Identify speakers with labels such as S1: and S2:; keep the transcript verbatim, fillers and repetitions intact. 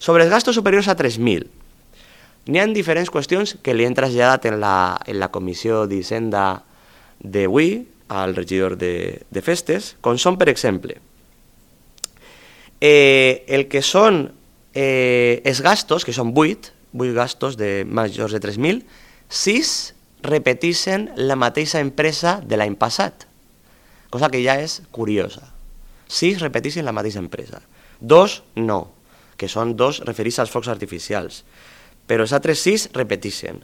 S1: Sobre els gastos superiors a tres mil, n'hi ha diferents qüestions que li han traslladat en la, en la comissió d'Hisenda d'avui al regidor de, de festes, com són, per exemple, eh, el que són eh, els gastos, que són vuit, vuit gastos de majors de tres mil, sis repeteixen la mateixa empresa de l'any passat, cosa que ja és curiosa. Sis repeteixen la mateixa empresa. Dos no, que són dos referits als focs artificials, però els altres sis repeteixen.